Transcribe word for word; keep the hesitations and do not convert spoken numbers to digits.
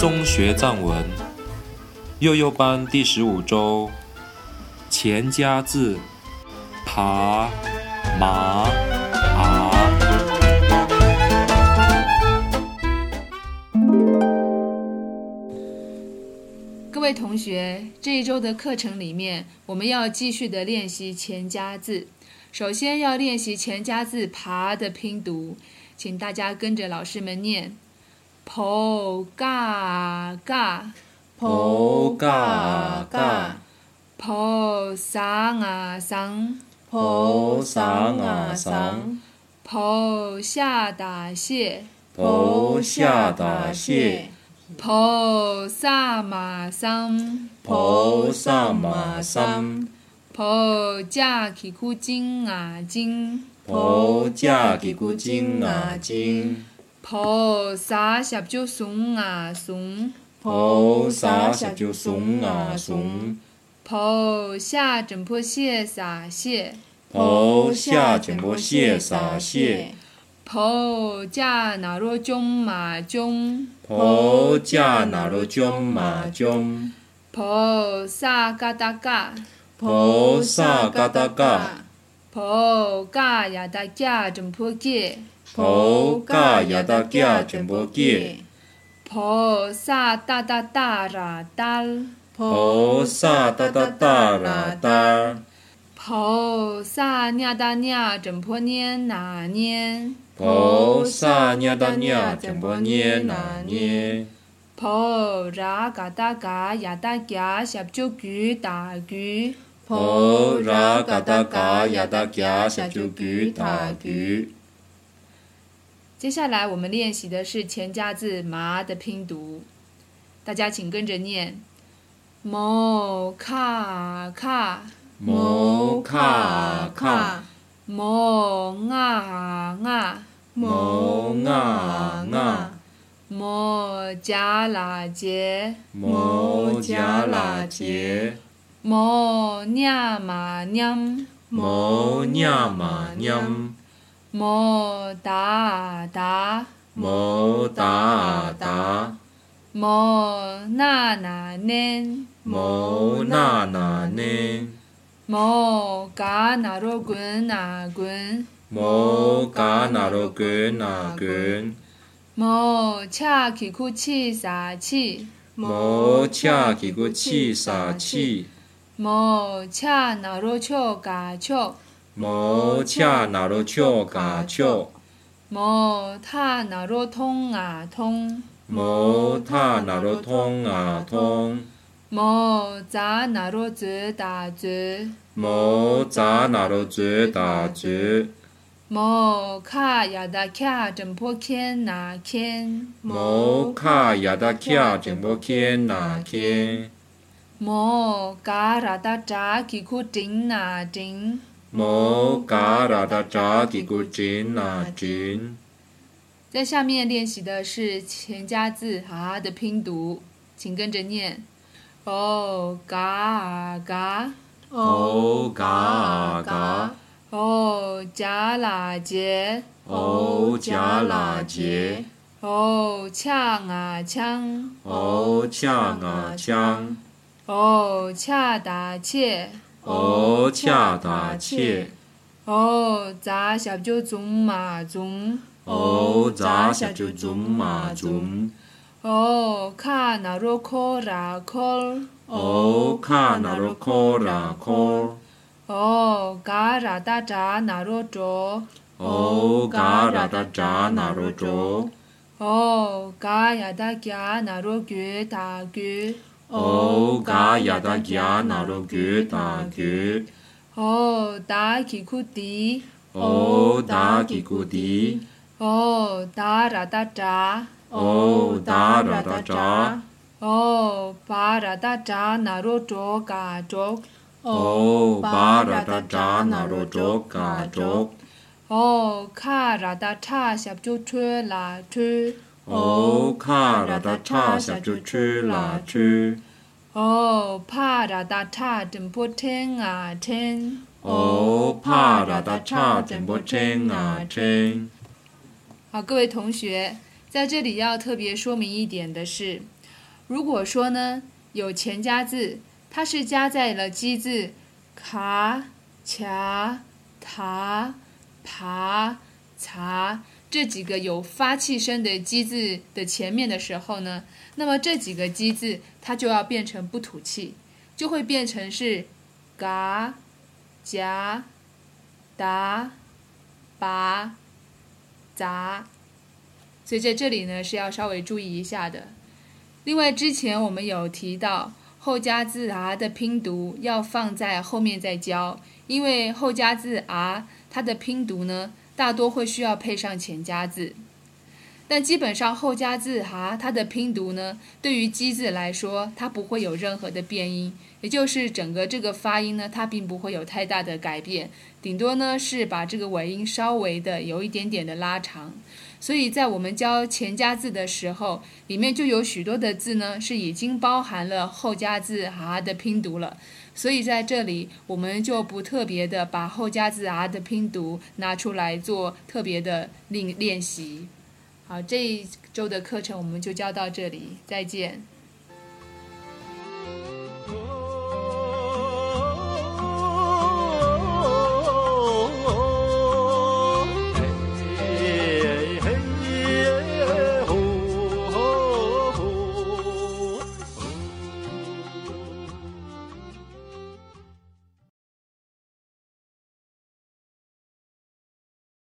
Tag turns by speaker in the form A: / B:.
A: 松学藏文幼幼班第十五周钱家字爬麻爬。
B: 各位同学，这一周的课程里面，我们要继续的练习钱家字。首先要练习钱家字爬的拼读，请大家跟着老师们念 po ga ga
C: po ga ga
B: po sang a sang
C: po sang a sang
B: po 下打蟹
C: po 下打蟹
B: po 萨马桑
C: po 萨马桑
B: po 架起库金啊金
C: po 架起库金啊金
B: po 沙十九松啊松
C: po 沙十九松啊松
B: po 下整坡蟹撒蟹
C: po 下整坡蟹撒蟹
B: po 架那罗中马中
C: po 架那罗中马中
B: po 萨嘎达嘎
C: po 萨嘎达嘎
B: po 嘎呀达嘎整坡给
C: po 嘎呀达嘎整坡给
B: po 萨哒哒哒啦哒
C: po 萨哒哒哒啦哒
B: po 萨nha哒nha整坡捏哪捏
C: po 萨nha哒nha整坡捏哪捏
B: po ra嘎达嘎呀达嘎十九句打句
C: po ra嘎达嘎呀达嘎十九句打句。
B: 接下来我们练习的是钱家字麻的拼读，大家请跟着念 mo ka ka
C: mo ka ka
B: mo nga nga
C: mo nga nga
B: mo 加啦节
C: mo 加啦节
B: mo nha嘛 nhâm
C: mo nha嘛 nhâm
B: mo 打打
C: mo打打
B: mo 那那nên
C: mo na na nên
B: mo cá nà rô quyến nà quyến
C: mo cá nà rô quyến nà quyến
B: mo cha kỳ khu chi xà chi
C: mo cha kỳ khu chi xà chi
B: mo cha nà rô chô cà chô
C: mo cha nà rô chô cà chô
B: mo tha nà rô thông à thông
C: mo tha nà rô thông à thông
B: mo giá nà rô dư đà dư
C: mo giá nà rô dư đà dư
B: mo kha ya da kya整坡 kien nà kien
C: mo kha ya da kya整坡 kien nà kien
B: mo ga ra da zha kỳ khu chính nà chính
C: mo ga ra da zha kỳ khu chính nà chính。
B: 在下面练习的是钱家字啊的拼读，请跟着念 o ga ga
C: o ga ga
B: o 加啦节
C: o 加啦节
B: o 呛啊呛
C: o 呛啊呛
B: o 恰打切
C: o 恰打切
B: o 杂小就中马中
C: o 杂小就中马中
B: o 卡那罗科拉科
C: o 卡那罗科拉科
B: o 嘎拉达扎那罗卓
C: o 嘎拉达扎那罗卓
B: o 嘎呀达嘎那罗句打句
C: o 嘎呀达嘎那罗句打句
B: o 达奇库迪
C: o 达奇库迪
B: o 达拉达扎
C: o 达拉达扎
B: o 巴拉达扎那罗卓嘎卓
C: o 巴拉达扎那罗卓嘎卓
B: o 卡拉达差小就吹啦吹
C: o 卡拉达差小就吹啦吹
B: o 帕拉达差整坡天啊天
C: o 帕拉达差整坡天啊天。
B: 好，各位同学，在这里要特别说明一点的是如果说呢有前加字，它是加在了基字卡、卡、塔、爬、查这几个有发气声的基字的前面的时候呢，那么这几个基字它就要变成不吐气，就会变成是嘎、夹、达、拔、杂。所以在这里呢是要稍微注意一下的。另外之前我们有提到后加字 r 的拼读要放在后面再教，因为后加字 r 它的拼读呢大多会需要配上前加字，但基本上后加字 r 它的拼读呢对于基字来说它不会有任何的变音，也就是整个这个发音呢它并不会有太大的改变，顶多呢是把这个尾音稍微的有一点点的拉长。所以在我们教前加字的时候，里面就有许多的字呢是已经包含了后加字 r 的拼读了，所以在这里我们就不特别的把后加字 r 的拼读拿出来做特别的练习。好，这一周的课程我们就教到这里，再见。